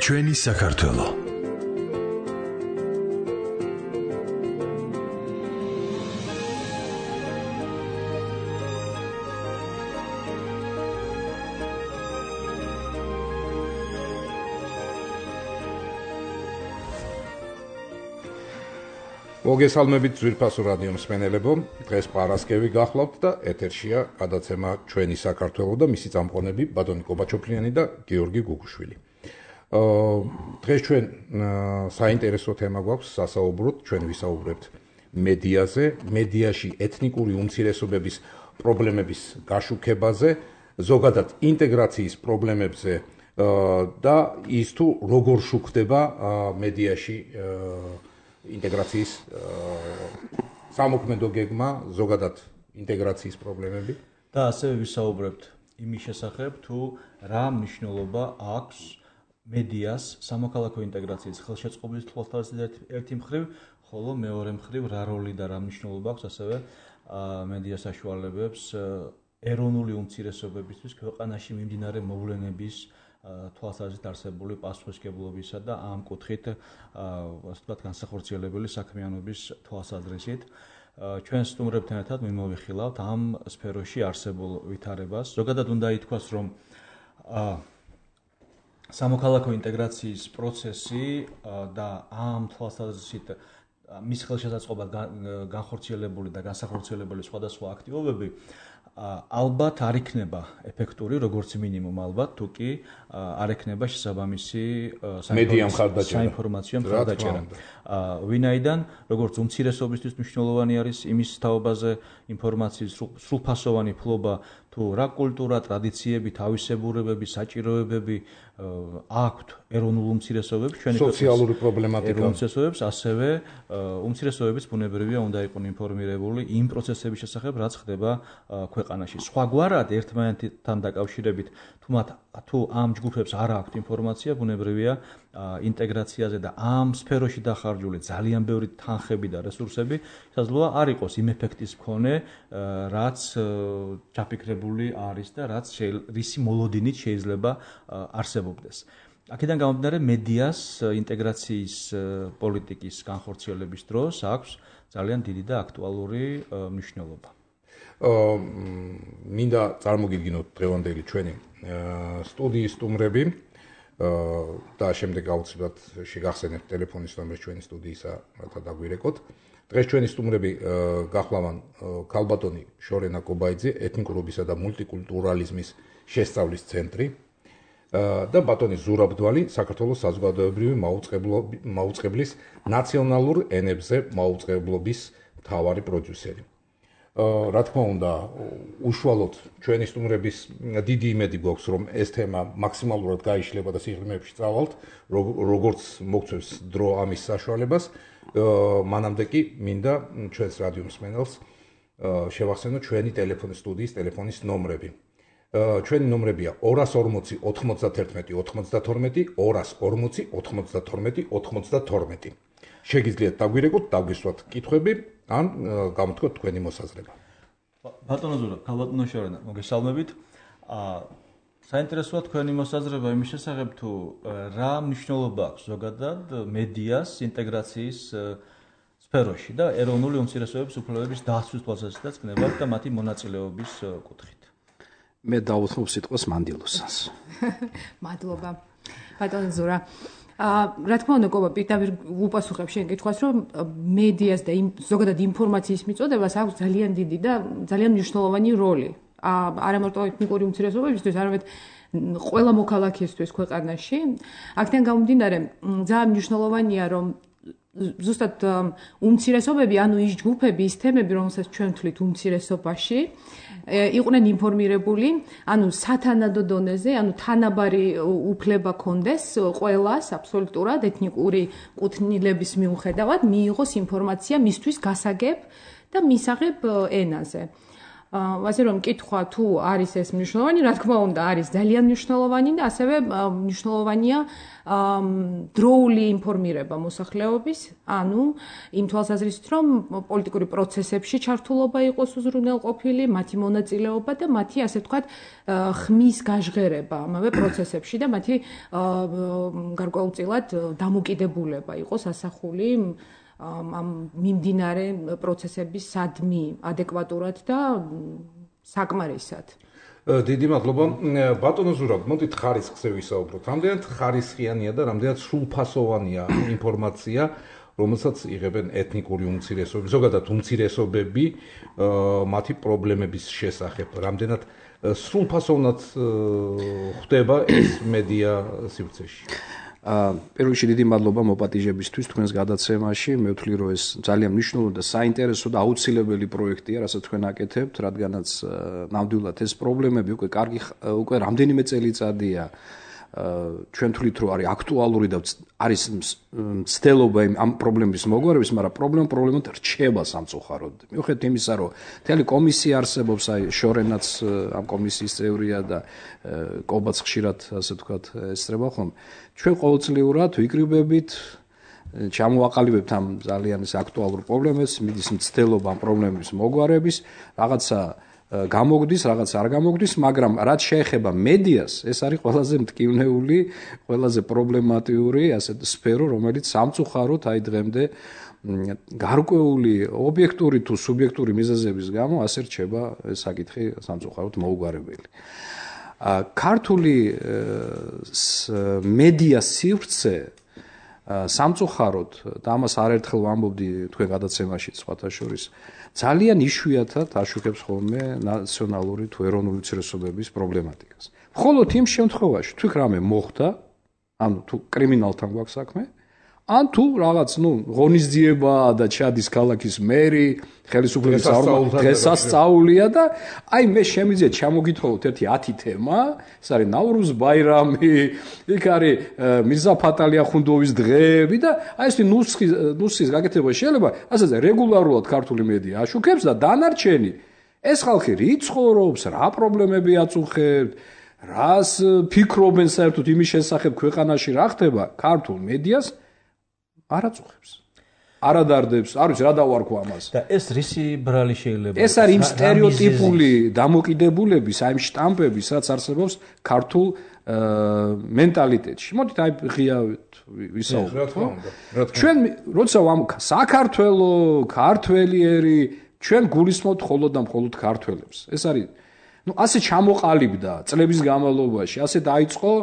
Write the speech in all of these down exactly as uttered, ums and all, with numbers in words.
ჩვენი საქართველო. მოგესალმებით ძვირფასო რადიო მსმენელებო, დღეს პარასკევი გახლავთ და ეთერშია გადაცემა ჩვენი საქართველო და მისი წამყვანები ბატონი კობაჩოფლიანი და გიორგი გუგუშვილი. დღეს ჩვენ საინტერესო თემა გვაქვს სასაუბროთ, ჩვენ ვისაუბრებთ მედიაზე, მედიაში ეთნიკური უმცირესობების პრობლემების გაშუქებაზე, ზოგადად ინტეგრაციის პრობლემებზე და ის თუ როგორ შუქდება მედიაში ინტეგრაციის სამოქმედო გეგმა, ზოგადად ინტეგრაციის პრობლემები და ასევე ვისაუბრებთ იმის შესახებ, თუ რა მნიშვნელობა აქვს მედიას სამოქალაქო ინტეგრაციის ხელშეწყობის თვალსაზრისით ერთი მხრივ, ხოლო მეორე მხრივ რა როლი და რა მნიშვნელობა აქვს ასევე მედია საშუალებებს ეროვნული უმცირესობებისთვის ქვეყანაში მიმდინარე მოვლენების თვალსაზრისით არსებული პასუხისმგებლობისა და ამ კუთხით ასე ვთქვათ განსახორციელებელი საქმიანობის თვალსაზრისით ჩვენ სტუმრებთან ერთად მიმოვიხილავთ ამ სფეროში არსებულ ვითარებას. ზოგადად უნდა ითქვას, რომ სამოქალაქო ინტეგრაციის პროცესი და ამ თვალსაზრისით მის ხელშესაწყობად განხორციელებული და განსახორციელებელი სხვადასხვა აქტივობები ალბათ არ იქნება ეფექტური, როგორც მინიმუმ ალბათ, თუ კი არ ექნება შესაბამისი საინფორმაციო მხარდაჭერა. ვინაიდან, როგორც უმცირესობისთვის მნიშვნელოვანი არის იმის თაობაზე ინფორმაციის სრულფასოვანი ფლობა, თუ რა კულტურა, ტრადიციები, თავისებურებები, საჭიროებები აქვთ ეროვნულ უმცირესობებს, ჩვენი სოციალური პრობლემატიკა, უმცირესობებს, ასევე უმცირესობების ბუნებრივია უნდა იყვნენ ინფორმირებული იმ პროცესების შესახებ, რაც ხდება ქვეყანაში. სხვაგვარად ერთმანეთთან დაკავშირებით, თუ მათ თუ ამ ჯგუფებს არ აქვთ ინფორმაცია, ბუნებრივია ინტეგრაციაზე და ამ სფეროში დახარჯული ძალიან ბევრი თანხები და რესურსები შესაძლოა არ იყოს იმ ეფექტის მქონე, რაც ჩაფიქრებული არის და რაც რისი მოლოდინით შეიძლება არსებობდეს. აქედან გამომდინარე, მედიას ინტეგრაციის პოლიტიკის განხორციელების დროს აქვს ძალიან დიდი და აქტუალური მნიშვნელობა. მინდა წარმოგიდგინოთ დღევანდელი ჩვენი სტუდიის სტუმრები და შემდეგ აუცილებლად შეგახსენებთ ტელეფონის ნომერს ჩვენი სტუდიისა, რათა დაგვირეკოთ. დღეს ჩვენი სტუმრები გახლავან ქალბატონი შორენა კობაიძე, ეთნიკურობისა და მულტიკულტურალიზმის შესწავლის ცენტრი და ბატონი ზურაბდვალი, საქართველოს საზოგადოებრივი მაუწყებლის ნაციონალურ ენებზე მაუწყებლობის მთავარი პროდიუსერი. რა თქმა უნდა, უშუალოდ ჩვენი სტუმრების დიდი იმედი გვაქვს, რომ ეს თემა მაქსიმალურად გაიშლება და სიღრმეებში წავალთ, როგორც მოგწევს დრო ამის საშუალებას. მანამდე კი მინდა ჩვენს რადიო მსმენელს შევახსენოთ ჩვენი ტელეფონის სტუდიის ტელეფონის ნომრები. ჩვენი ნომრებია ორას ორმოცი ოთხმოცდათერთმეტი ოცდათორმეტი, ორას ორმოცი ოთხმოცდათორმეტი ოცდათორმეტი. შეგიძლიათ დაგვირეკოთ, დაგვისვათ კითხვები, ან გამოთქვათ თქვენი მოსაზრება. ბატონო ზურაბ, ქალბატონო შორენა, მოგესალმებით. საინტერესოა თქვენი მოსაზრება იმის შესახებ, თუ რა მნიშვნელობა აქვს ზოგადად მედიას ინტეგრაციის სფეროში და ეროვნული უმცირესობების უფლებების დაცვის თვალსაზრისითაც გნებავთ და მათი მონაწილეობის კუთხით. მე დავუთმობ სიტყვას მანდილოსანს. მადლობა. ბატონო ზურა, რა თქმა უნდა, კობა, პირდაპირ უპასუხებ შენ კითხვას, რომ მედიას და ზოგადად ინფორმაციის მიწოდებას აქვს ძალიან დიდი და ძალიან მნიშვნელოვანი როლი. არა მარტო ეთნიკური უმცირესობებისთვის, არამედ ყველა მოქალაქისთვის ქვეყანაში. აქედან გამომდინარე, ძალიან მნიშვნელოვანია, რომ ზუსტად უმცირესობები, ანუ ის ჯგუფები, ის თემები, რომელსაც ჩვენ ვთვლით უმცირესობაში, იყვნენ ინფორმირებული, ანუ სათანადო დონეზე, ანუ თანაბარი უფლება კონდეს ყველას აბსოლუტურად ეთნიკური კუთვნილების მიუხედავად მიიღოს ინფორმაცია მისთვის გასაგებ და მისაღებ ენაზე. ასე რომ კითხვა თუ არის ეს მნიშვნელოვანი, რა თქმა უნდა, არის ძალიან მნიშვნელოვანი და ასევე მნიშვნელოვანია დროული ინფორმირება მოსახლეობის, ანუ იმ თვალსაზრისით, რომ პოლიტიკური პროცესებში ჩართულობა იყოს უზრუნველყოფილი, მათი მონაწილეობა და მათი, ასე ვთქვათ, ხმის გაჟღერება ამავე პროცესებში და მათი გარკვეულწილად დამოკიდებულება იყოს ასახული ამ მიმდინარე პროცესების სადმი ადეკვატურად და საკმარისად. დიდი მადლობა. ბატონო ზურაბ, მოდით ხარისხზე ვისაუბროთ. რამდენად ხარისხიანია და რამდენად სრულფასოვანია ინფორმაცია, რომელსაც იღებენ ეთნიკური უმცირესობები, ზოგადად უმცირესობები მათი პრობლემების შესახებ. რამდენად სრულფასოვნად ხდება ეს მედია სივრცეში. პირველ რიგში დიდი მადლობა მოპატიჟებისთვის თქვენს გადაცემაში. მე ვთვლი, რომ ეს ძალიან მნიშვნელოვანი და საინტერესო და აუცილებელი პროექტია, რასაც თქვენ აკეთებთ, რადგანაც ნამდვილად ეს პრობლემები უკვე კარგი უკვე რამდენიმე წელიწადია ჩვენ თვლით, რომ არის აქტუალური და არის მცდელობა ამ პრობლემის მოგვარების, მაგრამ პრობლემა პრობლემად რჩება სამწუხაროდ. მიუხედავად იმისა, რომ მთელი კომისია არსებობს, აი შორენაც ამ კომისიის წევრია და კობაც ხშირად, ასე ვთქვათ, ესწრება ხოლმე. ჩვენ ყოველწლიურად ვიკრიბებით, ჩამოვაყალიბებთ ამ ძალიან ეს აქტუალურ პრობლემებს, მიდის მცდელობა ამ პრობლემების მოგვარების, რაღაცა გამოგდის, რაღაც არ გამოგდის, მაგრამ რაც შეეხება მედიას, ეს არის ყველაზე მტკივნეული, ყველაზე პრობლემატიური ასეთ სფერო, რომელიც სამწუხაროდ აი დღემდე გარკვეული ობიექტური თუ სუბიექტური მიზეზების გამო ასე რჩება ეს საკითხი სამწუხაროდ მოუგვარებელი. ქართული მედია სივრცე სამწუხაროდ და ამას არაერთხელ ვამბობდი თქვენ გადაცემაში სხვათა შორის ძალიან იშვიათად აშუქებს ხოლმე ნაციონალური თუ ეროვნული უმცირესობების პრობლემატიკას. მხოლოდ იმ შემთხვევაში, თუ რამე მოხდა, ანუ თუ კრიმინალთან გვაქვს საქმე, ან თუ რაღაც, ნუ, ღონისძიება და ჩადის ქალაქის მერი, ხელისუფლების დღესასწაულია და აი მე შემიძლია ჩამოგითხოვოთ ერთი ათი თემა, ეს არის ნავრუზ ბაირამი, იქ არის მირზა ფატალი ახუნდოვის დღეები და აი ეს ნუსხის ნუსხის გაკეთება შეიძლება, ასე რეგულარულად ქართული მედია აშუქებს და დანარჩენი ეს ხალხი რით ცხოვრობს, რა პრობლემები აწუხებთ, რას ფიქრობენ საერთოდ იმის შესახებ ქვეყანაში რა ხდება, ქართულ მედიას არ აწუხებს. არ ადარდებს, არ ვიცი რა დავარქვა ამას. და ეს რისი ბრალი შეიძლება? ეს არის იმ სტერეოტიპული დამოკიდებულების, აი იმ შტამპების, რაც არსებობს ქართულ მენტალიტეტში. მოდით აი ღია ვისაუბროთ. ჩვენ როცა ვამ საქართველო, ქართველიერი, ჩვენ გულისხმობთ მხოლოდ და მხოლოდ ქართველებს. ეს არის ნუ ასე ჩამოყალიბდა წლების განმავლობაში, ასე დაიწყო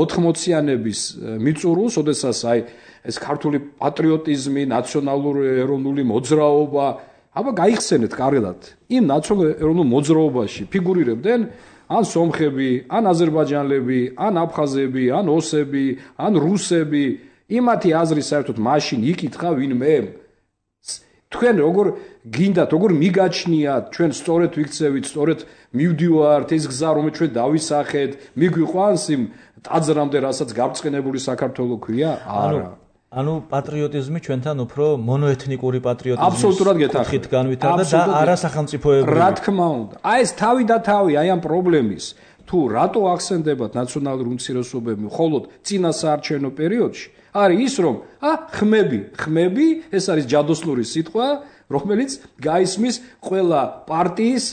ოთხმოციანების მიწურულს, ოდესაც აი ეს ქართული პატრიოტიზმი, ნაციონალური ეროვნული მოძრაობა, აბა გაიხსენეთ კარგად. იმ ნაციონალურ ეროვნულ მოძრაობაში ფიგურირებდნენ ან სომხები, ან აზერბაიჯანელები, ან აფხაზები, ან ოსები, ან რუსები. იმათი აზრი საერთოდ მაშინ იკითხა ვინმე. თქვენ როგორ გინდათ, როგორ მიგაჩნიათ, ჩვენ სწორედ ვიქცევით, სწორედ მივდივართ ეს გზა, რომელიც ჩვენ დავისახეთ, მიგვიყვანს იმ ტაძრამდე, რასაც გაბრწყინებული საქართველო ქვია? არა. ანუ პატრიოტიზმი ჩვენთან უფრო მონოეთნიკური პატრიოტიზმის აბსოლუტურად გეთახმებით განვითარდა და არა სახელმწიფოებრივი. რა თქმა უნდა. აი ეს თავი და თავი აი ამ პრობლემის თუ რატო ახსენდებათ ნაციონალური უმცირესობები მხოლოდ წინა საარჩევნო პერიოდში, არის ის რომ ა ხმები, ხმები, ეს არის ჯადოსნური სიტყვა, რომელიც გაისმის ყველა პარტიის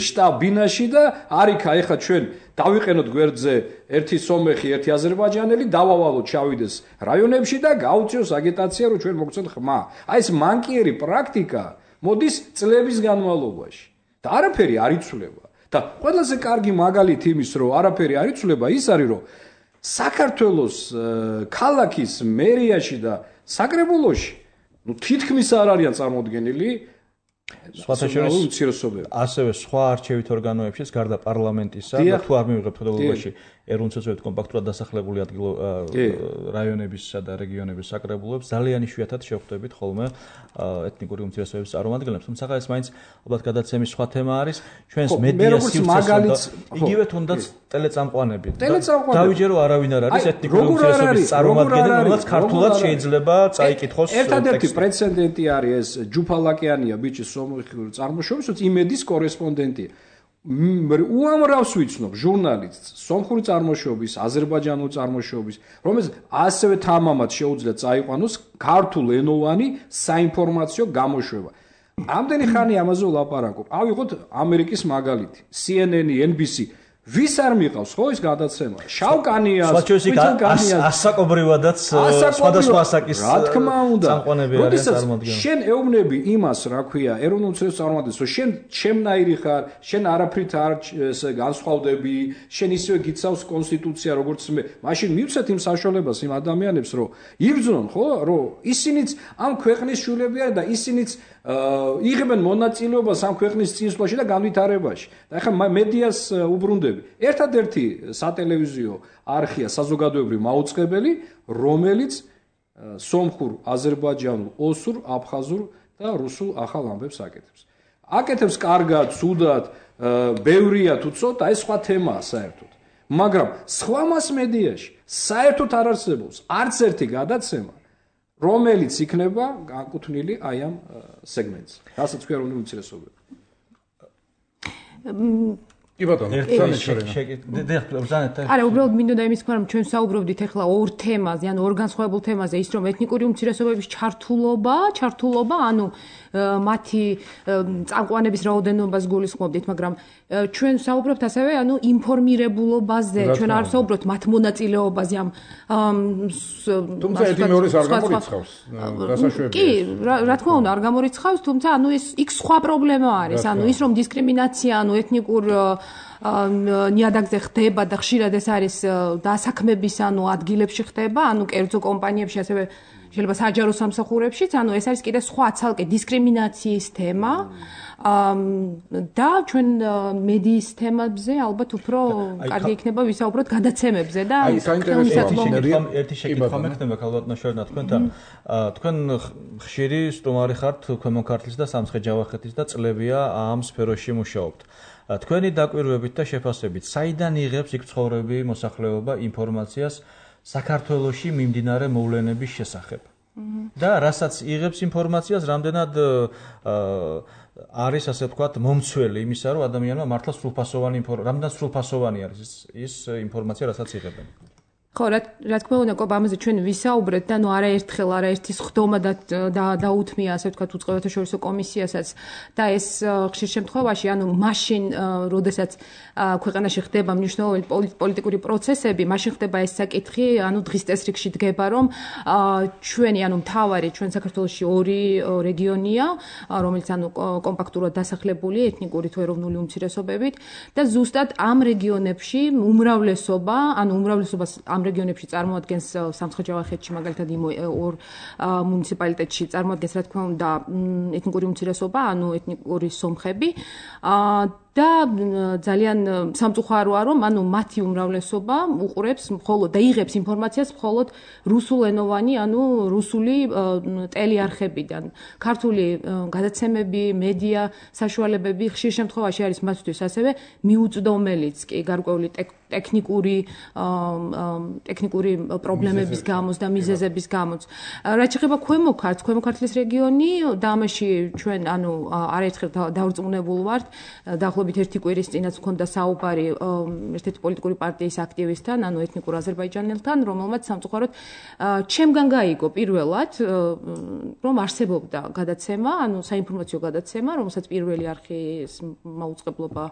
შტაბ-ბინაში და არიქა ეხა ჩვენ დავიყენოთ გვერდზე ერთი სომეხი, ერთი აზერბაიჯანელი, დავავალოთ ჩავიდეს რაიონებში და გაუწიოს აგიტაცია, რომ ჩვენ მოგცეთ ხმა. აი ეს მანკიერი პრაქტიკა მოდის წლების განმავლობაში და არაფერი არ იცვლება. და ყველაზე კარგი მაგალითი იმის, რომ არაფერი არ იცვლება, ის არის, რომ საქართველოს ქალაქის მერიაში და საკრებულოში ნუ თითქმის არ არიან წარმოდგენილი სხვათა შორის ასევე სხვა არჩევით ორგანოებშიც გარდა პარლამენტისა და თუ არ მივიღებთ ხელოვნებაში ეროვნულ უწყებად კომპაქტურად დასახლებული ადგილ რაიონებისა და რეგიონების საკრებულოებს ძალიან იშვიათად შევხვდებით ხოლმე ეთნიკური უმცირესობების წარმომადგენლებს. თუმცა ეს მაინც ალბათ გადაცემის სხვა თემა არის. ჩვენს მედია სივრცეს იგივე თუნდაც ტელეწამყვანები. დავიჯერო არავინ არ არის ეთნიკური უმცირესობების წარმომადგენელი, რომელსაც ქართულად შეიძლება წაიკითხოს. ერთადერთი პრეცედენტი არის ეს ჯუფალაკიანია ბიჭი სომხური წარმოშობის, იმედის კორესპონდენტია. უამრავს ვიცნობ ჟურნალისტს სომხური წარმოშობის, აზერბაიჯანული წარმოშობის, რომელიც ასევე თამამად შეუძლია წაიყვანოს ქართულენოვანი საინფორმაციო გამოშვება. ამდენი ხანი ამაზე ვლაპარაკობ. ავიღოთ ამერიკის მაგალითი, C N N, N B C. ვის არ მიყავს ხო ის გადაცემა? შავკანიას, ვიტელკანიას, ასაკობრივადაც სხვადასხვა ასაკის რა თქმა უნდა. წამყვანები არიან წარმოადგენლები. შენ ეუბნები იმას, რა ქვია, ეროვნულ უწყებას წარმოადგენს, რომ შენ ჩემნაირი ხარ, შენ არაფრით არ ესე განსხვავდები, შენ ისევე გიცავს კონსტიტუცია, როგორც მე. მაშინ მივცეთ იმ საშუალებას იმ ადამიანებს, რომ იბრძნონ, ხო, რომ ისინიც ამ ქვეყნის შვილები არიან და ისინიც იღებენ მონაწილეობას ამ ქვეყნის წინსვლაში და განვითარებაში. და ახლა მედიას უბრუნდები. ერთადერთი სატელევიზიო არხია საზოგადოებრივი მაუწყებელი, რომელიც სომხურ, აზერბაიჯანულ, ოსურ, აფხაზურ და რუსულ ახალ ამბებს აკეთებს. აკეთებს კარგად, ცუდად, ბევრია თუ ცოტა, ეს სხვა თემაა საერთოდ. მაგრამ სხვა მას მედიაში საერთოდ არ არსებობს არც ერთი გადაცემა, რომელიც იქნება განკუთვნილი აი ამ სეგმენტს. რასაც ქვია ეროვნული უმცირესობები. კი ბატონო, არა, უბრალოდ მინდოდა იმის თქვა, რომ ჩვენ საუბრობდით ახლა ორ თემაზე, ანუ ორ განსხვავებულ თემაზე, ის რომ ეთნიკური უმცირესობების ჩართულობა, ჩართულობა, ანუ მათი წამყვანების რაოდენობას გულისხმობდით, მაგრამ ჩვენ საუბრობთ ასევე, ანუ ინფორმირებულობაზე, ჩვენ არ საუბრობთ მათ მონაწილეობაზე ამ თუმცა ერთი მეორეს არ გამორიცხავს, გასაშვებია. კი, რა თქმა უნდა, არ გამორიცხავს, თუმცა ანუ ის იქ სხვა პრობლემა არის, ანუ ის რომ დისკრიმინაცია, ანუ ეთნიკურ ნიადაგზე ხდება და ხშირად ეს არის დასაქმების ანუ ადგილებში ხდება, ანუ კერძო კომპანიებში ასევე შეიძლება საჯარო სამსახურებშიც, ანუ ეს არის კიდე სხვა ცალკე დისკრიმინაციის თემა და ჩვენ მედიის თემებზე ალბათ უფრო კარგი იქნება ვისაუბროთ გადაცემებზე და ერთი შეკითხვა მექნება ქალბატონო შორნა თქვენთან. თქვენ ხშირი სტუმარი ხართ ქვემო ქართლის და სამცხე-ჯავახეთის და წლებია ამ სფეროში მუშაობთ. თქვენი დაკვირვებით და შეფასებით, საიდან იღებს იქ ცხოვრები მოსახლეობა ინფორმაციას საქართველოში მიმდინარე მოვლენების შესახებ? და რასაც იღებს ინფორმაციას, რამდენად არის ასე ვთქვათ მომცველი იმისა, რომ ადამიანმა მართლა სრულფასოვანი ინფორმაცია, რამდენად სრულფასოვანი არის ის ის ინფორმაცია, რასაც იღებენ? ხო, რა თქმა უნდა, კობა ამაზე ჩვენ ვისაუბრეთ და ნუ არაერთხელ არაერთის ხდომა და დაუთმია ასე ვთქვათ უწყებათა შორისო კომისიასაც და ეს ხშირ შემთხვევაში, ანუ მაშინ, როდესაც ქვეყანაში ხდება მნიშვნელოვანი პოლიტიკური პროცესები, მაშინ ხდება ეს საკითხი, ანუ დღის წესრიგში დგება, რომ ჩვენი, ანუ მთავარი ჩვენ საქართველოში ორი რეგიონია, რომელიც ანუ კომპაქტურად დასახლებული ეთნიკური თუ ეროვნული უმცირესობებით და ზუსტად ამ რეგიონებში უმრავლესობა, ანუ უმრავლესობას ამ რეგიონებში წარმოადგენს სამცხე-ჯავახეთში მაგალითად იმ ორ მუნიციპალიტეტში წარმოადგენს რა თქმა უნდა ეთნიკური უმცირესობა, ანუ ეთნიკური სომხები და ძალიან სამწუხაროა რომ ანუ მათი უმრავლესობა უყურებს მხოლოდ და იღებს ინფორმაციას მხოლოდ რუსულენოვანი, ანუ რუსული ტელეარხებიდან. ქართული გადაცემები, მედია საშუალებები ხშირ შემთხვევაში არის მათთვის ასევე მიუწვდომელიც კი გარკვეული ტექნიკური ტექნიკური პრობლემების გამოც და მიზეზების გამოც. რაც შეეხება ქვემო ქართლს, ქვემო ქართლის რეგიონი და ამაში ჩვენ ანუ არაერთხელ დავრწმუნებულ ვართ, დაახლოებით ერთი კვირის წინაც მქონდა საუბარი ერთ-ერთი პოლიტიკური პარტიის აქტივისტთან, ანუ ეთნიკურ აზერბაიჯანელთან, რომელმაც სამწუხაროდ ჩემგან გაიგო პირველად, რომ არსებობდა გადაცემა, ანუ საინფორმაციო გადაცემა, რომელსაც პირველი არხის მაუწყებლობა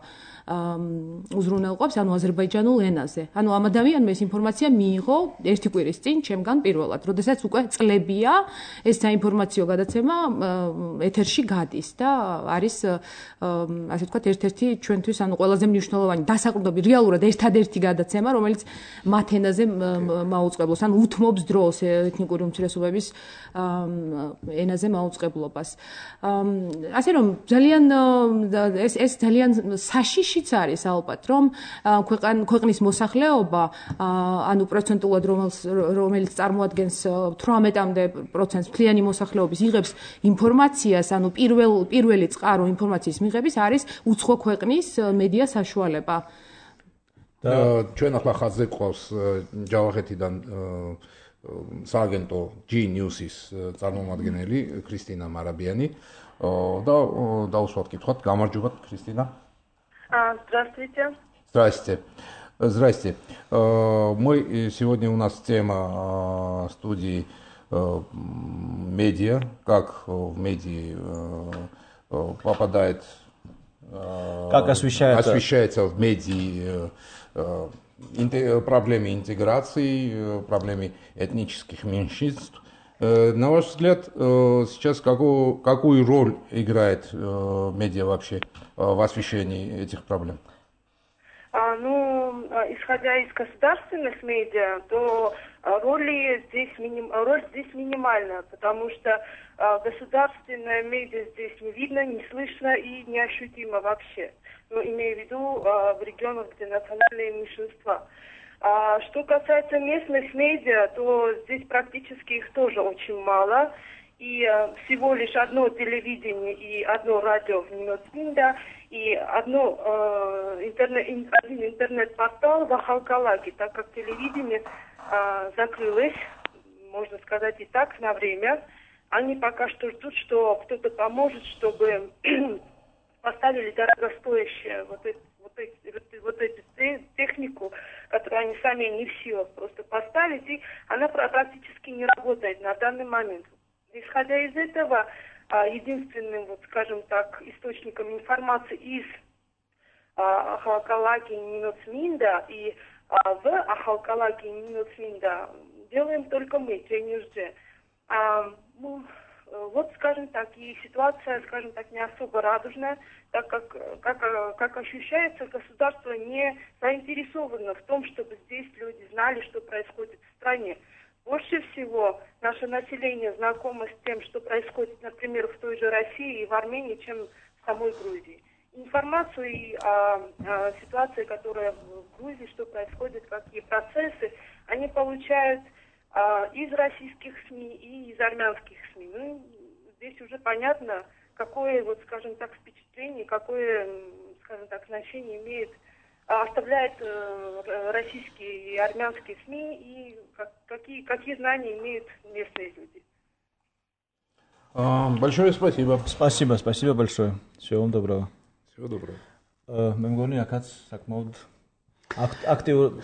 უზრუნველყოფს, ანუ აზერბაიჯანულ ენაზე. ანუ ამ ადამიანმა ეს ინფორმაცია ინფორმაცია მიიღო ერთი კვირის წინ ჩემგან პირველად, როდესაც უკვე წლებია ეს საინფორმაციო გადაცემა ეთერში გადის და არის ასე ვთქვათ ერთ-ერთი ჩვენთვის ანუ ყველაზე მნიშვნელოვანი დასაყრდნობი რეალურად ერთადერთი გადაცემა, რომელიც მათ ენაზე მაუწყებლობს, ან უთმობს დროს ეთნიკური უმცირესობების ენაზე მაუწყებლობას. ასე რომ ძალიან ეს ეს ძალიან საშიშიც არის ალბათ, რომ ქვეყნის მოსახლეობა ანუ პროცენტულად რომელიც წარმოადგენს თვრამეტამდე პროცენტს მთლიანი მოსახლეობის იღებს ინფორმაციას, ანუ პირველ პირველი წყარო ინფორმაციის მიღების არის უცხო ქვეყნის მედია საშუალება. და ჩვენ ახლა ხაზზე გვყავს ჯავახეთიდან სააგენტო G News-ის წარმომადგენელი ქრისტინა მარაბიანი და დაუსვათ კითხვათ. გამარჯობათ ქრისტინა. Здравствуйте. Здравствуйте. Здравствуйте. Мы сегодня у нас тема студии медиа, как в медиа попадает, как освещается, освещается в медиа проблемы интеграции, проблемы этнических меньшинств. На ваш взгляд, сейчас какую, какую роль играет медиа вообще в освещении этих проблем? А, ну, исходя из государственных медиа, то роли здесь миним... роль здесь минимальная, потому что а, государственное медиа здесь не видно, не слышно и неощутимо вообще. Ну, имею в виду а, в регионах, где национальные меньшинства. А, что касается местных медиа, то здесь практически их тоже очень мало. И а, всего лишь одно телевидение и одно радио в Нинотвинда, и одно, э, интернет, один интернет-портал в Ахалкалаге, так как телевидение э, закрылось, можно сказать и так, на время. Они пока что ждут, что кто-то поможет, чтобы поставили дорогостоящую вот, это, вот, эти, вот эту технику, которую они сами не в силах просто поставить, и она практически не работает на данный момент. Исходя из этого, единственным, вот, скажем так, источником информации из Ахалкалаги и Нинотвинда и а, в Ахалкалаги и Нинотвинда делаем только мы, Джей а, ну, вот, скажем так, и ситуация, скажем так, не особо радужная, так как, как, как ощущается, государство не заинтересовано в том, чтобы здесь люди знали, что происходит в стране. Больше всего наше население знакомо с тем, что происходит, например, в той же России и в Армении, чем в самой Грузии. Информацию о, о ситуации, которая в Грузии, что происходит, какие процессы, они получают а, из российских СМИ и из армянских СМИ. Ну, здесь уже понятно, какое, вот, скажем так, впечатление, какое, скажем так, значение имеет оставляет э, российские и армянские СМИ и как, какие, какие знания имеют местные люди. А, большое спасибо. Спасибо, спасибо большое. Всего вам доброго. Всего доброго. მე მგონი აქაც საკმაოდ აქტიურ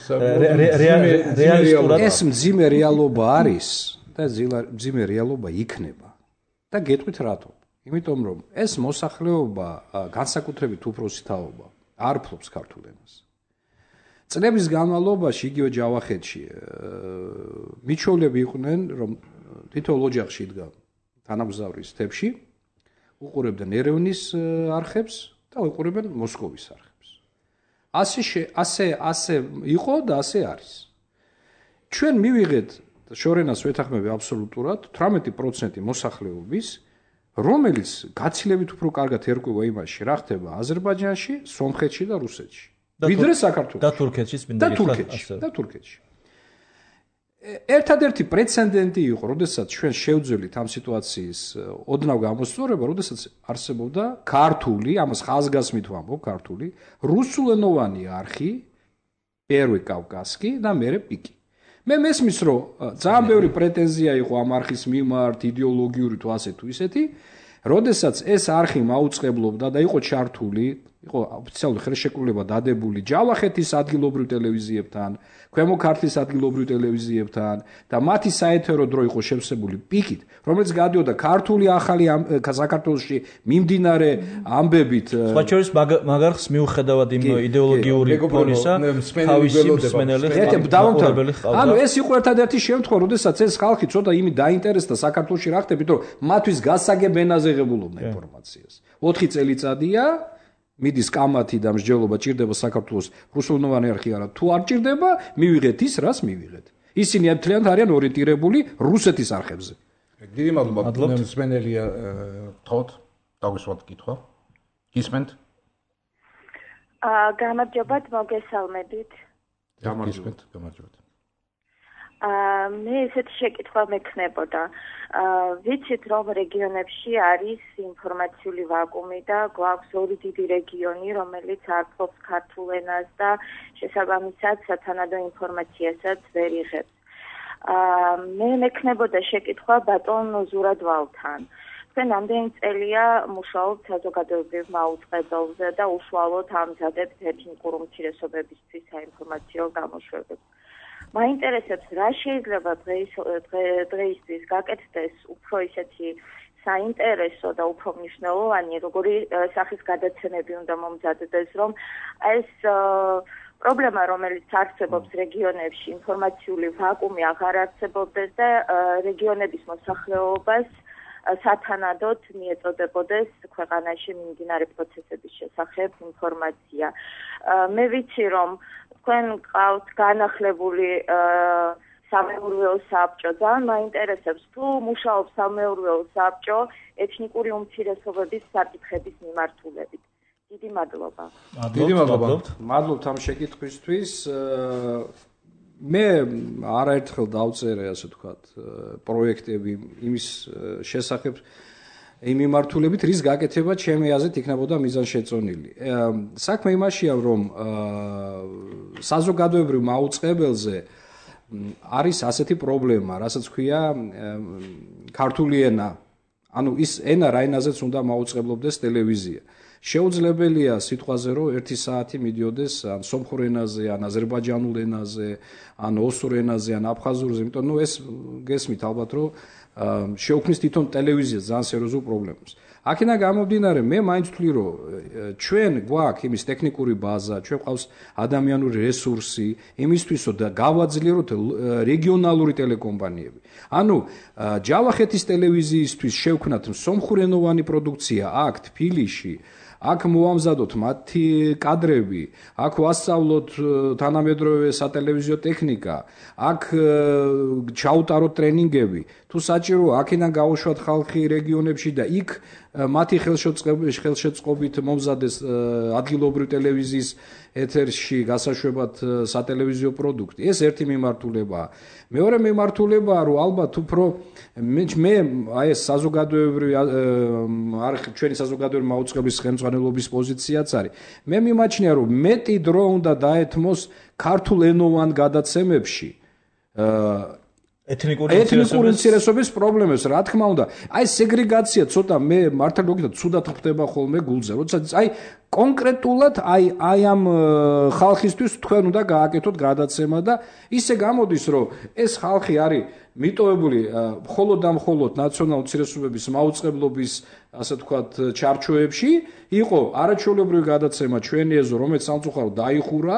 რეალისტურად ეს მძიმე რეალობა არის და მძიმე რეალობა იქნება. და გეტყვით რატო? იმიტომ რომ ეს მოსახლეობა განსაკუთრებით უფროსი თაობა არ ფლობს ქართულ ენას. წლების განმავლობაში იგივე ჯავახეთში მიჩოვლები იყვნენ, რომ თითოეულ ოჯახში იდგა თანამგზავრის თებში, უყურებდნენ ერევნის არხებს და უყურებენ მოსკოვის არხებს. ასე ასე ასე იყო და ასე არის. ჩვენ მივიღეთ შორენას ვეთანხმები აბსოლუტურად თვრამეტი პროცენტი მოსახლეობის, რომელიც გაცილებით უფრო კარგად ერკვევა იმაში, რა ხდება აზერბაიჯანში, სომხეთში და რუსეთში. ვიდრე საქართველოში. და თურქეთში, და თურქეთში, და თურქეთში. ერთადერთი პრეცედენტი იყო, როდესაც ჩვენ შევძველით ამ სიტუაციის ოდნავ გამოსწორება, როდესაც არსებობდა ქართული, ამას ხაზგასმით ვამბობ, ქართული, რუსულენოვანი არხი, პირველი კავკასკი და მერე პიკი. მე მესმის, რომ ძალიან ბევრი პრეტენზია იყო ამ არხის მიმართ, იდეოლოგიური თუ ასე თუ ისეთი, როდესაც ეს არხი მაუწყებლობდა და იყო ჩართული იყო ოფიციალური ხელშეკრულება დადებული ჯავახეთის ადგილობრივ ტელევიზიებთან, ქვემო ქართლის ადგილობრივ ტელევიზიებთან და მათი საეთერო დრო იყო შევსებული პიკით, რომელიც გადიოდა ქართული ახალი საქართველოში მიმდინარე ამბებით. სხვა შორის მაგარხს მიუხედავად იმ იდეოლოგიური ფონისა, თავისი მსმენელი დავამთავრებელი ხალხი. ანუ ეს იყო ერთადერთი შემთხვევა, როდესაც ეს ხალხი ცოტა იმით დაინტერესდა საქართველოში რა ხდებით, რომ მათთვის გასაგებ ენაზე ღებულობდა ინფორმაციას. ოთხი წელიწადია მიდის კამათი და მსჯელობა ჭირდება საქართველოს რუსულენოვანი არხი არა თუ არ ჭირდება მივიღეთ ის რას მივიღეთ ისინი მთლიანად არიან ორიენტირებული რუსეთის არხებზე. დიდი მადლობა მსმენელია თოთ დაგვისვათ კითხვა გისმენთ? აა გამარჯობათ, მოგესალმებით. გამარჯობათ, გამარჯობათ. აა მე ესეთი შეკითხვა მექნებოდა. აა ვიცით რომ რეგიონებში არის ინფორმაციული ვაკუუმი და გვაქვს ორი დიდი რეგიონი, რომელიც არ ფლობს ქართულ ენას და შესაბამისად სათანადო ინფორმაციასაც ვერ იღებს. აა მე მექნებოდა შეკითხვა ბატონ ზურადვალთან. თქვენ ამდენი წელია მუშაობთ საზოგადოებრივ მაუწყებელზე და უშუალოდ ამზადებთ ეთნიკური უმცირესობებისთვის საინფორმაციო გამოშვებებს. მაინტერესებს რა შეიძლება დღეისთვის გაკეთდეს უფრო ისეთი საინტერესო და უფრო მნიშვნელოვანი, როგორი სახის გადაცემები უნდა მომზადდეს, რომ ეს პრობლემა, რომელიც არსებობს რეგიონებში, ინფორმაციული ვაკუუმი აღარ არსებობდეს და რეგიონების მოსახლეობას სათანადოდ მიეწოდებოდეს ქვეყანაში მიმდინარე პროცესების შესახებ ინფორმაცია. მე ვიცი, რომ თქვენ ყავთ განახლებული სამეურვეო საბჭო, ძალიან მაინტერესებს თუ მუშაობს სამეურვეო საბჭო ეთნიკური უმცირესობების საკითხების მიმართულებით. დიდი მადლობა. დიდი მადლობა. მადლობთ ამ შეკითხვისთვის. მე არაერთხელ დავწერე, ასე ვთქვათ, პროექტები იმის შესახებ იმ მიმართულებით, რის გაკეთება ჩემი აზრით იქნებოდა მიზანშეწონილი. საქმე იმაშია, რომ საზოგადოებრივ მაუწყებელზე არის ასეთი პრობლემა, რასაც ქვია ქართული ენა. ანუ ის ენა რა ენაზეც უნდა მაუწყებლობდეს ტელევიზია. შეუძლებელია სიტყვაზე, რომ ერთი საათი მიდიოდეს ან სომხურ ენაზე, ან აზერბაიჯანულ ენაზე, ან ოსურ ენაზე, ან აფხაზურზე, იმიტომ რომ ეს გესმით ალბათ, რომ შეუქმნის თვითონ ტელევიზია ძალიან სერიოზულ პრობლემებს. აქედან გამომდინარე, მე მაინც ვთვლი, რომ ჩვენ გვაქვს იმის ტექნიკური ბაზა, ჩვენ ყავს ადამიანური რესურსი, იმისთვის, რომ გავაძლიეროთ რეგიონალური ტელეკომპანიები. ანუ ჯავახეთის ტელევიზიისთვის შევქმნათ სომხურენოვანი პროდუქცია აქ თბილისში, აქ მოვამზადოთ მათი კადრები, აქ ვასწავლოთ თანამედროვე სატელევიზიო ტექნიკა, აქ ჩაუტაროთ ტრენინგები, თუ საჭირო აქედან გაუშვათ ხალხი რეგიონებში და იქ მათი ხელშეწყობით მომზადეს ადგილობრივ ტელევიზიის ეთერში გასაშვებად სატელევიზიო პროდუქტი. ეს ერთი მიმართულებაა. მეორე მიმართულებაა, რომ ალბათ უფრო მე აი ეს საზოგადოებრივი არხი, ჩვენი საზოგადოებრივი მაუწყებლის ხელმძღვანელობის პოზიციაც არის. მე მიმაჩნია, რომ მეტი დრო უნდა დაეთმოს ქართულ ენოვან გადაცემებში ეთნიკური უმცირესობის პრობლემებს, რა თქმა უნდა. აი სეგრეგაცია ცოტა მე მართლა მოგიტყვი, ცუდად ხდება ხოლმე გულზე. როდესაც აი კონკრეტულად აი აი ამ ხალხისთვის თქვენ უნდა გააკეთოთ გადაცემა და ისე გამოდის, რომ ეს ხალხი არის მიტოვებული მხოლოდ და მხოლოდ ნაციონალურ უმცირესობების მაუწყებლობის, ასე ვთქვათ, ჩარჩოებში, იყო არაჩვეულებრივი გადაცემა ჩვენი ეზო, რომელიც სამწუხაროდ დაიხურა.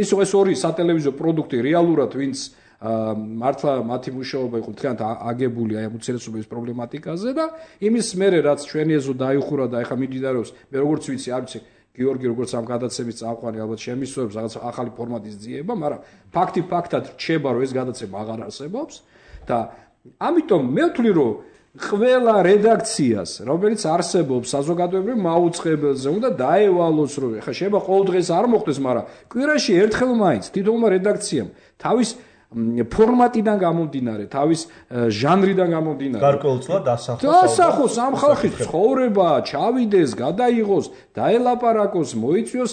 ის ეს ორი სატელევიზიო პროდუქტი რეალურად ვინც მართლა მათი მუშაობა იყო თქვენ აგებული აი უმცირესობების პრობლემატიკაზე და იმის მერე რაც ჩვენი ეზო დაიხურა და ეხა მიმდინარეობს მე როგორც ვიცი არ ვიცი გიორგი როგორც ამ გადაცემის წამყვანი ალბათ შემისწრებს რაღაც ახალი ფორმატის ძიება, მაგრამ ფაქტი ფაქტად რჩება რომ ეს გადაცემა აღარ არსებობს და ამიტომ მე ვთვლი რომ ყველა რედაქციას რომელიც არსებობს საზოგადოებრივ მაუწყებელზე უნდა დაევალოს რომ ეხა შეიძლება ყოველ დღეს არ მოხდეს, მაგრამ კვირაში ერთხელ მაინც თითოეულმა რედაქციამ თავის ფორმატიდან გამომდინარე, თავის ჟანრიდან გამომდინარე. გარკვეულწილად დასახოს. დასახოს ამ ხალხის ცხოვრება, ჩავიდეს, გადაიღოს, დაელაპარაკოს, მოიწვიოს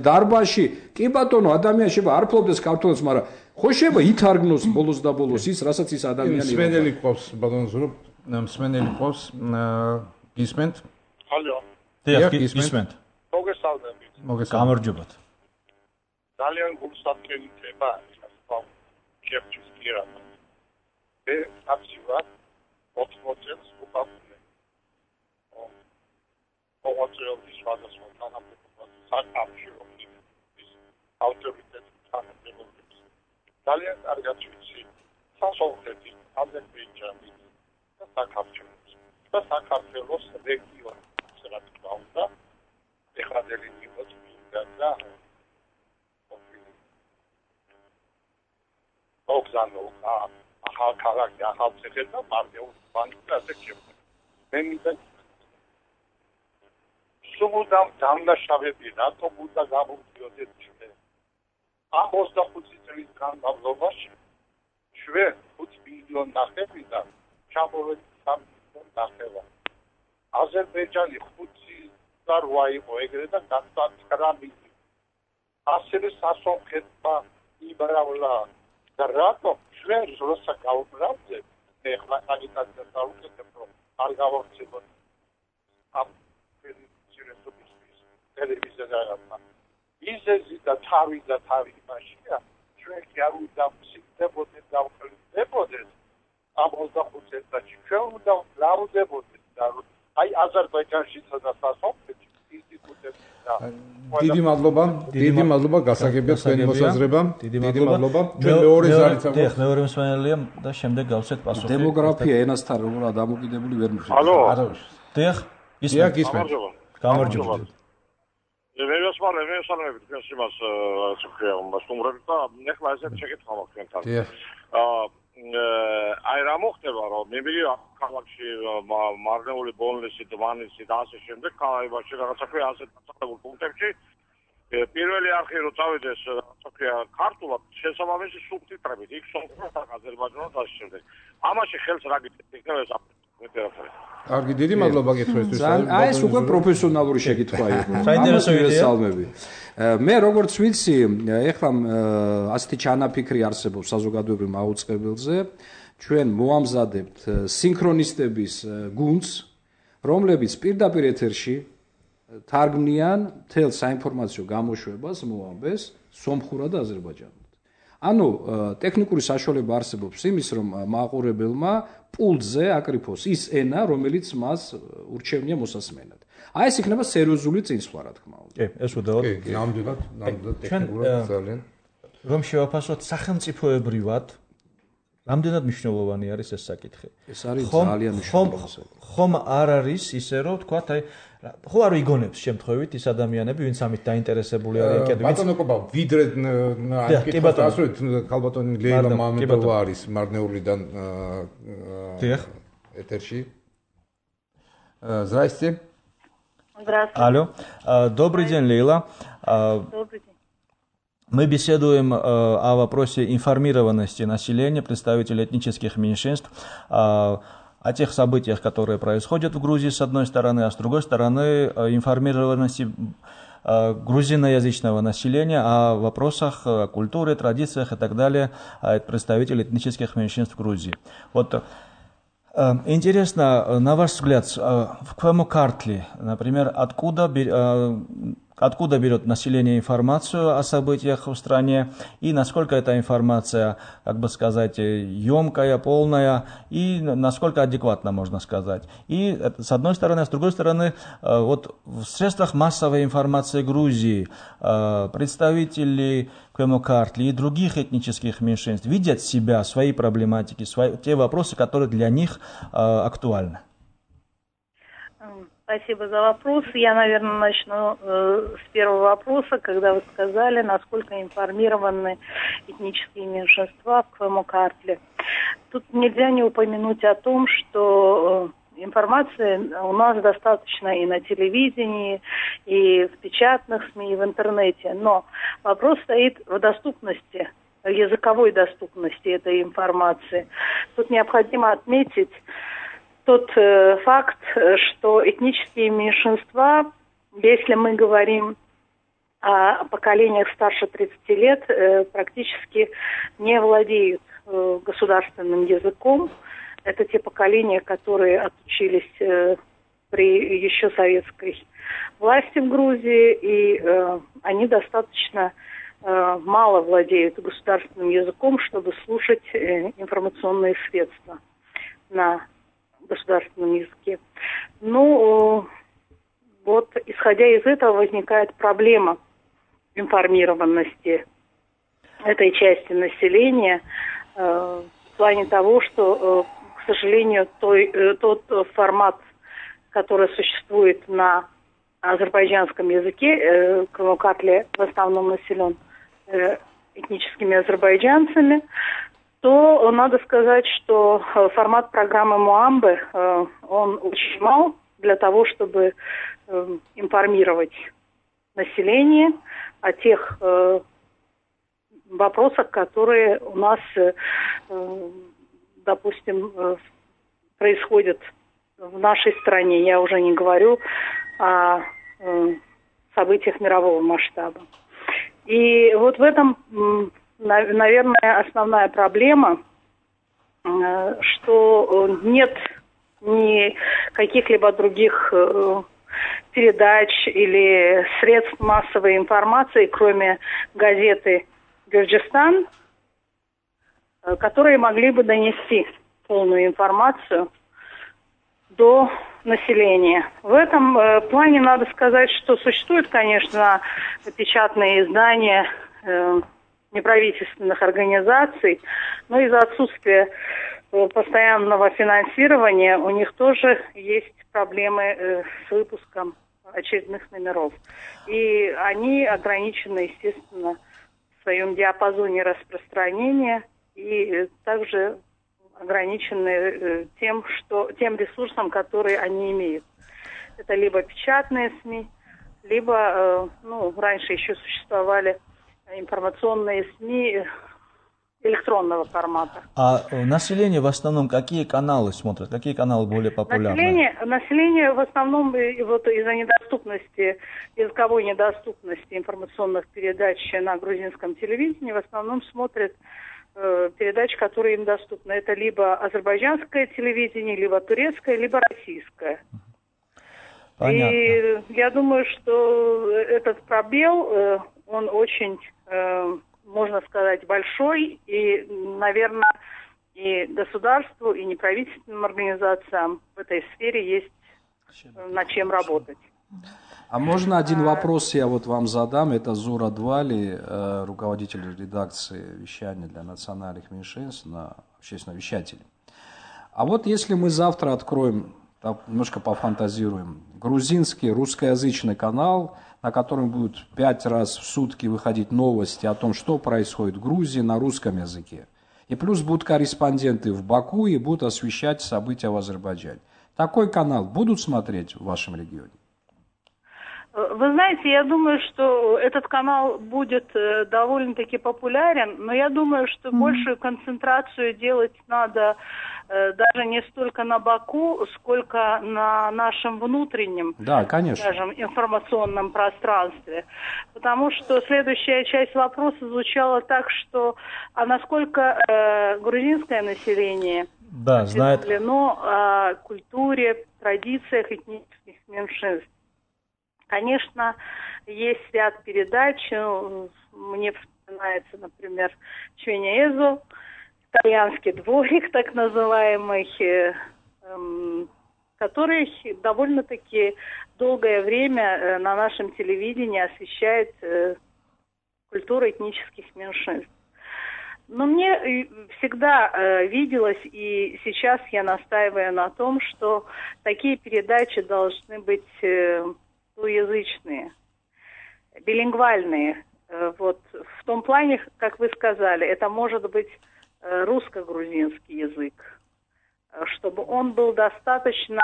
დარბაზში. კი ბატონო, ადამიანი შეიძლება არ ფლობდეს ქართულს, მაგრამ ხო შეიძლება ითარგმნოს ბოლოს და ბოლოს ის, რასაც ის ადამიანი. მსმენელი ყავს, ბატონო ზურაბ, მსმენელი ყავს, გისმენთ? ალო. დიახ, გისმენთ. მოგესალმებით. მოგესალმებით. გამარჯობათ. ძალიან გულსაფრენი თემა ახლა შეფჩის პირადა. მე აბსოლუტურად ოთხმოცს უყავდნე. ოღონდ სხვადასხვა თანამდებობაზე საკავშირო ის ავტორიტეტი თანამდებობებს. ძალიან კარგად ვიცი სასწავლეთი აზერბაიჯანი და საქართველოს და საქართველოს რეგიონის რა თქმა უნდა ეხლა დელიგიოთ და ოქზანო ახალ ქალაქი ახალ ციხე და პარტიულ ბანკი ასე შეგვიძლია. მე მინდა სულ დამნაშავეები რატომ უნდა გამოვიდიოდეთ ჩვენ? ამ ოცდახუთი წლის განმავლობაში ჩვენ ხუთი მილიონი ნახევრიდან ჩამოვედი სამი მილიონი ნახევარი. აზერბაიჯანი ხუთი და რვა იყო ეგრე და გახდა ცხრა მილიონი. ასევე სასონხეთმა იმრავლა და რატომ ჩვენ როცა გავუბრალდეთ ეხლა აგიტაცია დავუკეთებ რომ არ გავორცებოთ ამ ტელევიზია რაღაცა. ისეთი და თავი და თავი მაშია ჩვენ კი არ უნდა ვსიქდებოდეთ და ვყლებოდეთ ამ ოცდახუთი წელიწადში ჩვენ უნდა ვლაუდებოდეთ და აი აზერბაიჯანში და სასოფლეთში ინსტიტუტებში და დიდი მადლობა დიდი მადლობა გასაგებია თქვენი მოსაზრება დიდი მადლობა ჩვენ მეორე ზარით დიახ მეორე მსმენელია და შემდეგ გავცეთ პასუხი დემოგრაფია ენასთან როგორ დამოკიდებული ვერ მივხვდი ალო დიახ ისმენთ ისმენთ გამარჯობა მე ვესმალე მე ვესალმებით თქვენს იმას ასე ვქია სტუმრებს და ეხლა ესეთი შეკითხვა მაქვს თქვენთან აა აი რა მოხდება რომ მე მიგია ქალაქში მარნეული ბონლისი დვანისი და ასე შემდეგ ქალაქებში რაღაცა ქვია ასეთ დასახლებულ პუნქტებში პირველი არხი რო წავიდეს რაღაცა ქვია ქართულად შესაბამისი სუბტიტრებით იქ სომხურად აზერბაიჯანულად და ასე შემდეგ ამაში ხელს რა გიწევთ იქნება ეს კარგი დიდი მადლობა გითხრისთვის აი ეს უკვე პროფესიონალური შეკითხვა იყო საინტერესო იდეა მე როგორც ვიცი ეხლა ასეთი ჩანაფიქრი არსებობს საზოგადოებრივ მაუწყებელზე ჩვენ მოამზადებთ სინქრონისტების გუნდს რომლებიც პირდაპირ ეთერში თარგმნიან მთელ საინფორმაციო გამოშვებას მოამბეს სომხურად და აზერბაიჯანულად ანუ ტექნიკური საშუალება არსებობს იმის რომ მაყურებელმა პულტზე აკრიფოს ის ენა რომელიც მას ურჩევნია მოსასმენად აი ეს იქნება სერიოზული წინსვლა რა თქმა უნდა კი ეს უდაოდ კი ნამდვილად ნამდვილად ტექნიკურად ძალიან რომ შევაფასოთ სახელმწიფოებრივად რამდენად მნიშვნელოვანი არის ეს საკითხი ეს არის ძალიან მნიშვნელოვანი ხომ არ არის ისე რომ თქვათ აი ხო არ ვიგონებს შემთხვევით ის ადამიანები ვინც ამით დაინტერესებული არიან კიდევ ბატონო კობა ვიდრე კითხავს ასეთ ქალბატონი ლეილა მამედოვა არის მარნეულიდან დიახ ეთერში Здрасте. Здравствуйте. Алло. Добрый день, Лейла. Добрый день. Мы беседуем о вопросе информированности населения, представителей этнических меньшинств, о тех событиях, которые происходят в Грузии с одной стороны, а с другой стороны информированности грузиноязычного населения о вопросах культуры, традициях и так далее представителей этнических меньшинств в Грузии. Вот интересно, на ваш взгляд, в Квемокартли, например, откуда Откуда берет население информацию о событиях в стране и насколько эта информация, как бы сказать, емкая, полная и насколько адекватна, можно сказать. И с одной стороны, а с другой стороны, вот в средствах массовой информации Грузии представители Квемокартли и других этнических меньшинств видят себя, свои проблематики, свои, те вопросы, которые для них актуальны. Спасибо за вопрос. Я, наверное, начну э, с первого вопроса, когда вы сказали, насколько информированы этнические меньшинства в Квемокартле. Тут нельзя не упомянуть о том, что э, информации у нас достаточно и на телевидении, и в печатных СМИ, и в интернете. Но вопрос стоит в доступности, в языковой доступности этой информации. Тут необходимо отметить тот э, факт, что этнические меньшинства, если мы говорим о поколениях старше тридцати лет, э, практически не владеют э, государственным языком. Это те поколения, которые отучились э, при еще советской власти в Грузии, и э, они достаточно э, мало владеют государственным языком, чтобы слушать э, информационные средства на государственном языке. Ну, э, вот исходя из этого возникает проблема информированности этой части населения э, в плане того, что, э, к сожалению, той, э, тот формат, который существует на азербайджанском языке, э, Крыму-Картле в основном населен э, этническими азербайджанцами, то надо сказать, что э, формат программы Муамбы, э, он очень мал для того, чтобы э, информировать население о тех э, вопросах, которые у нас, э, допустим, э, происходят в нашей стране. Я уже не говорю о э, событиях мирового масштаба. И вот в этом, э, наверное, основная проблема, э, что нет ни каких-либо других э, передач или средств массовой информации, кроме газеты «Гюрджистан», которые могли бы донести полную информацию до населения. В этом э, плане надо сказать, что существуют, конечно, печатные издания э, неправительственных организаций, но из-за отсутствия э, постоянного финансирования у них тоже есть проблемы э, с выпуском очередных номеров. И они ограничены, естественно, в своем диапазоне распространения и э, также ограничены э, тем, что, тем ресурсом, который они имеют. Это либо печатные СМИ, либо, э, ну, раньше еще существовали информационные СМИ электронного формата. А население в основном какие каналы смотрит? Какие каналы более популярны? Население, население в основном вот из-за недоступности, языковой недоступности информационных передач на грузинском телевидении в основном смотрит э, передачи, которые им доступны. Это либо азербайджанское телевидение, либо турецкое, либо российское. Понятно. И я думаю, что этот пробел, э, он очень... Э, можно сказать, большой, и, наверное, и государству, и неправительственным организациям в этой сфере есть над чем работать. А можно один вопрос я вот вам задам? Это Зура Двали, руководитель редакции вещания для национальных меньшинств на общественном вещателе. А вот если мы завтра откроем, немножко пофантазируем, грузинский русскоязычный канал, на котором будут пять раз в сутки выходить новости о том, что происходит в Грузии на русском языке. И плюс будут корреспонденты в Баку и будут освещать события в Азербайджане. Такой канал будут смотреть в вашем регионе? Вы знаете, я думаю, что этот канал будет довольно-таки популярен, но я думаю, что mm-hmm. большую концентрацию делать надо даже не столько на Баку, сколько на нашем внутреннем, да, конечно. скажем, информационном пространстве. Потому что следующая часть вопроса звучала так, что а насколько э, грузинское население да, осведомлено о культуре, традициях этнических меньшинств. Конечно, есть ряд передач, мне вспоминается, например, Чвенеэзо, итальянский дворик, так называемый, который довольно-таки долгое время на нашем телевидении освещает культуру этнических меньшинств. Но мне всегда виделось, и сейчас я настаиваю на том, что такие передачи должны быть двуязычные, билингвальные. Вот в том плане, как вы сказали, это может быть русско-грузинский язык, чтобы он был достаточно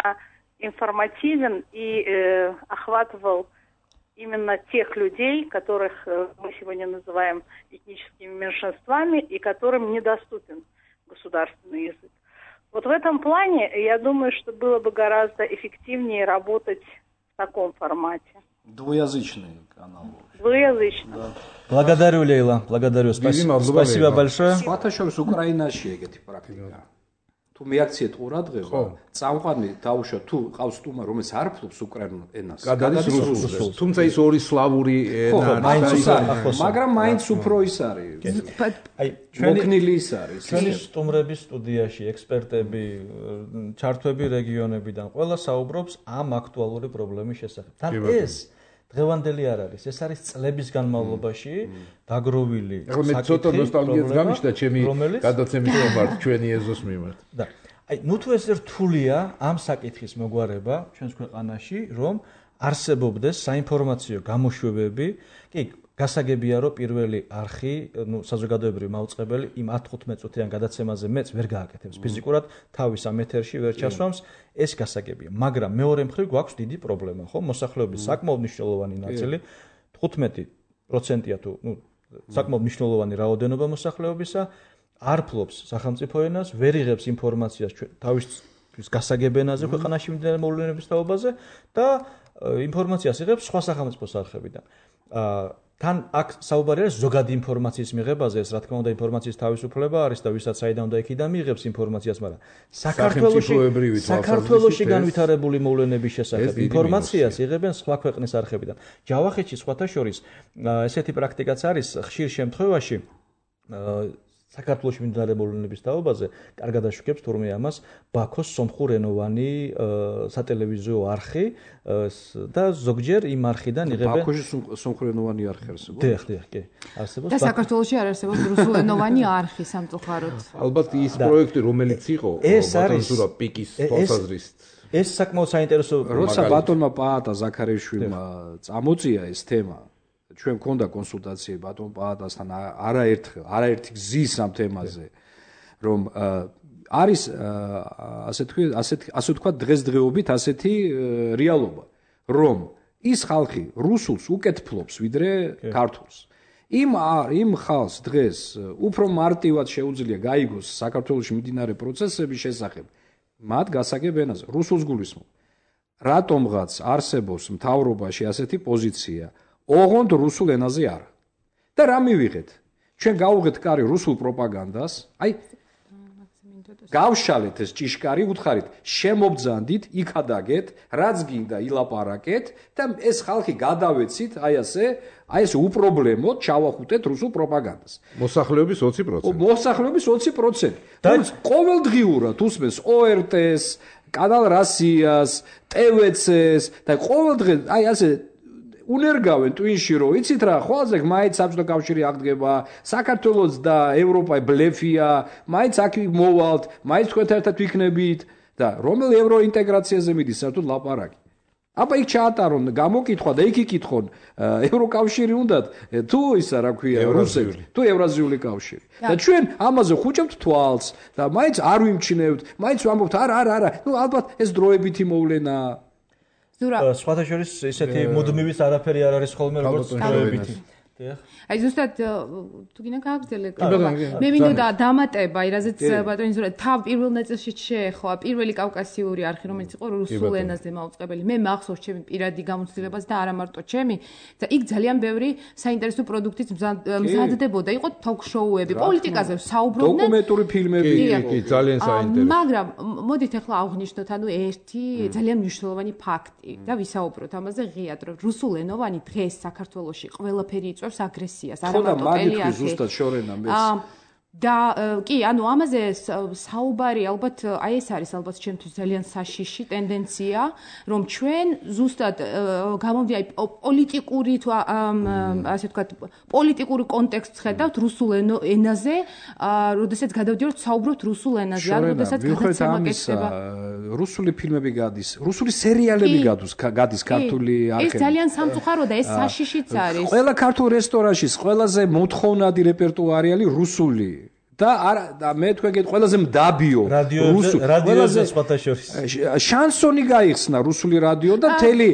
информативен и э, охватывал именно тех людей, которых э, мы сегодня называем этническими меньшинствами и которым недоступен государственный язык. Вот в этом плане, я думаю, что было бы гораздо эффективнее работать в таком формате. Двуязычный канал. Двуязычный. Да. Благодарю, Лейла. Благодарю. Спасибо, спасибо большое. Спасибо, Украина, эти практика. თუ მეაქციეთ ყურადღება, წამყვანი დაუშვა თუ ყავს სტუმარი, რომელიც არ ფლობს უკრაინულ ენას. გადადის რუსულს. თუმცა ის ორი სლავური ენა არის, მაგრამ მაინც უფრო ის არის. აი, ჩვენი ის არის. ჩვენი სტუმრების სტუდიაში ექსპერტები, ჩართვები რეგიონებიდან ყველა საუბრობს ამ აქტუალური პრობლემის შესახებ. თან ეს დღევანდელი არ არის, ეს არის წლების განმავლობაში დაგროვილი საკითხი. ახლა მე ცოტა ნოსტალგიაც გამიშთა ჩემი გადაცემის მიმართ, ჩვენი ეზოს მიმართ. და აი, ნუ თუ ეს რთულია ამ საკითხის მოგვარება ჩვენს ქვეყანაში, რომ არსებობდეს საინფორმაციო გამოშვებები, კი, გასაგებია, რომ პირველი არხი, ნუ საზოგადოებრივი მაუწყებელი იმ ათ თხუთმეტ წუთიან გადაცემაზე მეც ვერ გააკეთებს ფიზიკურად, თავის ამ ეთერში ვერ ჩასვამს, ეს გასაგებია. მაგრამ მეორე მხრივ გვაქვს დიდი პრობლემა, ხო? მოსახლეობის საკმაოდ მნიშვნელოვანი ნაწილი, თხუთმეტი პროცენტია თუ, ნუ, საკმაოდ მნიშვნელოვანი რაოდენობა მოსახლეობისა არ ფლობს სახელმწიფო ენას, ვერ იღებს ინფორმაციას თავის გასაგებ ენაზე ქვეყანაში მიმდინარე მოვლენების თაობაზე და ინფორმაციას იღებს სხვა სახელმწიფო არხებიდან. თან აქ საუბარი არის ზოგადი ინფორმაციის მიღებაზე, ეს რა თქმა უნდა ინფორმაციის თავისუფლება არის და ვისაც საიდან და იქიდან მიიღებს ინფორმაციას, მაგრამ საქართველოში საქართველოში განვითარებული მოვლენების შესახებ ინფორმაციას იღებენ სხვა ქვეყნის არხებიდან. ჯავახეთში სხვათა შორის ესეთი პრაქტიკაც არის ხშირ შემთხვევაში საქართველოში მიმდინარე მოვლენების თაობაზე კარგად აშუქებს თურმე ამას ბაქოს სომხურენოვანი სატელევიზიო არხი და ზოგჯერ იმ არხიდან იღებენ ბაქოში სომხურენოვანი არხი არსებობს. დიახ, დიახ, კი. არსებობს. და საქართველოში არ არსებობს რუსულენოვანი არხი სამწუხაროდ. ალბათ ის პროექტი რომელიც იყო ბატონზურა პიკის თვალსაზრისით. ეს საკმაოდ საინტერესო როცა ბატონმა პაატა ზაქარიშვილმა წამოწია ეს თემა ჩვენ მქონდა კონსულტაციები ბატონ პაატასთან არაერთხელ, არაერთი გზის ამ თემაზე, რომ არის ასე თქვი, ასეთი ასე თქვა დღესდღეობით ასეთი რეალობა, რომ ის ხალხი რუსულს უკეთ ფლობს ვიდრე ქართულს. იმ იმ ხალხს დღეს უფრო მარტივად შეუძლია გაიგოს საქართველოში მიმდინარე პროცესების შესახებ, მათ გასაგებ ენაზე, რუსულს გულისხმობ. რატომღაც არსებობს მთავრობაში ასეთი პოზიცია ოღონდ რუსულ ენაზე არა. და რა მივიღეთ? ჩვენ გავუღეთ კარი რუსულ პროპაგანდას, აი გავშალეთ ეს ჭიშკარი, უთხარით, შემობძანდით, იქადაგეთ, რაც გინდა ილაპარაკეთ და ეს ხალხი გადავეცით, აი ასე, აი ეს უპრობლემოდ ჩავახუტეთ რუსულ პროპაგანდას. მოსახლეობის ოცი პროცენტი. მოსახლეობის ოცი პროცენტი. და ყოველდღიურად უსმენს ო ერ ტე-ს, კანალ რასიას, ტე ვე ცე-ს და ყოველდღე აი ასე უნერგავენ ტვინში, რომ იცით რა, ყველაზე მაინც საბჭოთა კავშირი აღდგება, საქართველოს და ევროპა ბლეფია, მაინც აქ მოვალთ, მაინც თქვენთან ერთად ვიქნებით და რომელი ევროინტეგრაციაზე მიდის საერთოდ ლაპარაკი. აბა იქ ჩაატარონ, გამოკითხვა და იქ იკითხონ, ევროკავშირი უნდათ, თუ ისა რა ქვია, რუსები, თუ ევრაზიული კავშირი. და ჩვენ ამაზე ხუჭებთ თვალს და მაინც არ ვიმჩნევთ, მაინც ვამბობთ, არა, არა, არა, ნუ ალბათ ეს დროებითი მოვლენაა. სხვათა შორის ესეთი მუდმივის არაფერი არ არის ხოლმე როგორც დროებითი. აი ზუსტად თუ გინდა გააგრძელე მე მინდოდა დამატება აი რაზეც ბატონი ზურა თავ პირველ ნაწილში შეეხვა პირველი კავკასიური არხი რომელიც იყო რუსულ ენაზე მაუწყებელი მე მახსოვს ჩემი პირადი გამოცდილებას და არა მარტო ჩემი და იქ ძალიან ბევრი საინტერესო პროდუქტიც მზადდებოდა იყო თოქ-შოუები პოლიტიკაზე საუბრობდნენ დოკუმენტური ფილმები კი ძალიან საინტერესო მაგრამ მოდით ახლა აღვნიშნოთ ანუ ერთი ძალიან მნიშვნელოვანი ფაქტი და ვისაუბროთ ამაზე ღიად რომ რუსულენოვანი დღეს საქართველოში ყველაფერი იწვევს აგრესიას არა მარტო ტელეარხი ზუსტად შორენა მეც და კი ანუ ამაზე საუბარი ალბათ აი ეს არის ალბათ ჩემთვის ძალიან საშიში ტენდენცია რომ ჩვენ ზუსტად გამომდი აი პოლიტიკური თუ ასე ვთქვათ პოლიტიკური კონტექსტს ხედავთ რუსულ ენაზე როდესაც გადავდივართ საუბრობთ რუსულ ენაზე ან როდესაც გადაცემა გექნება რუსული ფილმები გადის რუსული სერიალები გადის გადის ქართული არხები ეს ძალიან სამწუხარო და ეს საშიშიც არის ყველა ქართულ რესტორანში ყველაზე მოთხოვნადი რეპერტუარი არის რუსული და არა და მე თქვენ გეტყვი ყველაზე მდაბიო რუსული რადიოზე სხვათა შორის შანსონი გაიხსნა რუსული რადიო და მთელი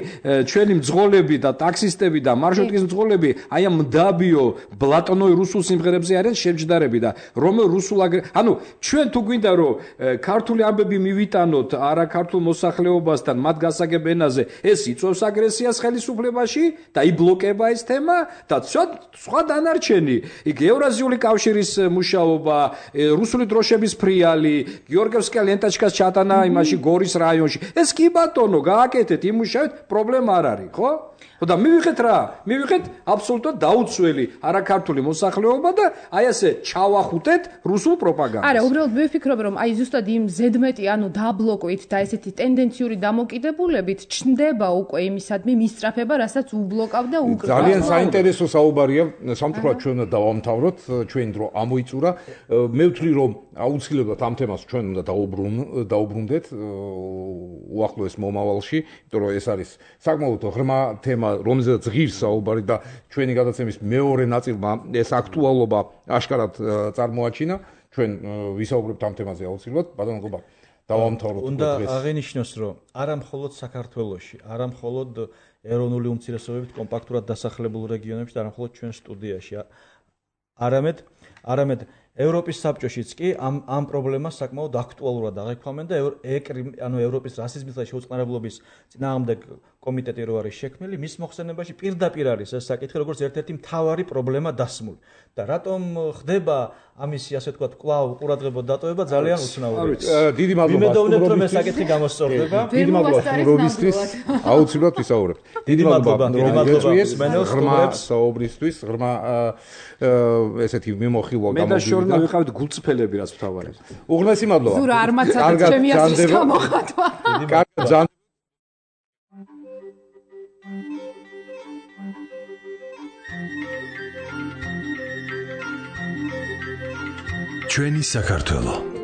ჩვენი მძღოლები და ტაქსისტები და მარშრუტკის მძღოლები აი ამ მდაბიო ბლატონოი რუსულ სიმღერებზე არიან შემჯდარები და რომელ რუსულ ანუ ჩვენ თუ გვინდა რომ ქართული ამბები მივიტანოთ არა ქართულ მოსახლეობასთან მათ გასაგებ ენაზე ეს იწვევს აგრესიას ხელისუფლებაში და იბლოკება ეს თემა და სხვა დანარჩენი იქ ევრაზიული კავშირის მუშაობა საქმეობა, რუსული დროშების ფრიალი, გიორგევსკია ლენტაჩკას ჩატანა იმაში გორის რაიონში. ეს კი ბატონო, გააკეთეთ, იმუშავეთ, პრობლემა არ არის, ხო? და მივიღეთ რა, მივიღეთ აბსოლუტურად დაუცველი არაქართული მოსახლეობა და აი ასე ჩავახუტეთ რუსულ პროპაგანდას. არა, უბრალოდ მე ვფიქრობ, რომ აი ზუსტად იმ ზედმეტი, ანუ დაბლოკით და ესეთი ტენდენციური დამოკიდებულებით ჩნდება უკვე იმისადმი მისწრაფება, რასაც უბლოკავდა უკრაინა. ძალიან საინტერესო საუბარია, სამწუხაროდ ჩვენ უნდა დავამთავროთ, ჩვენი დრო ამოიწურა. მე ვთვლი, რომ აუცილებლად ამ თემას ჩვენ უნდა დაუბრუნდეთ უახლოეს მომავალში, იმიტომ რომ ეს არის საკმაოდ ღრმა თემა, რომელზეც ღირს საუბარი და ჩვენი გადაცემის მეორე ნაწილმა ეს აქტუალობა აშკარად წარმოაჩინა. ჩვენ ვისაუბრებთ ამ თემაზე აუცილებლად, ბატონო გობა, დავამთავროთ დღეს. უნდა აღენიშნოს, რომ არა მხოლოდ საქართველოში, არა მხოლოდ ეროვნული უმცირესობებით კომპაქტურად დასახლებულ რეგიონებში და არა მხოლოდ ჩვენ სტუდიაში, არამედ არამედ ევროპის საბჭოშიც კი ამ ამ პრობლემას საკმაოდ აქტუალურად აღიქვამენ და ანუ ევროპის რასიზმის და შეუწყნარებლობის წინააღმდეგ კომიტეტი რო არის შექმნილი, მის მოხსენებაში პირდაპირ არის ეს საკითხი, როგორც ერთ-ერთი მთავარი პრობლემა დასმული. და რატომ ხდება ამისი ასე ვთქვათ კვლავ ყურადღება დატოვება ძალიან უცნაურია. დიდი მადლობა. ვიმედოვნებ, რომ ეს საკითხი გამოსწორდება. დიდი მადლობა სტუმრობისთვის. აუცილებლად ვისაუბრებთ. დიდი მადლობა. დიდი მადლობა მსმენელს ღრმა საუბრისთვის, ღრმა ესეთი მიმოხილვა გამოვიდა. მე და შორნა ვიყავით გულწრფელები, რაც მთავარია. უღრმესი მადლობა. ზურა არ მაცადეთ ჩემი ასის გამოხატვა. კარგად ჩვენი საქართველო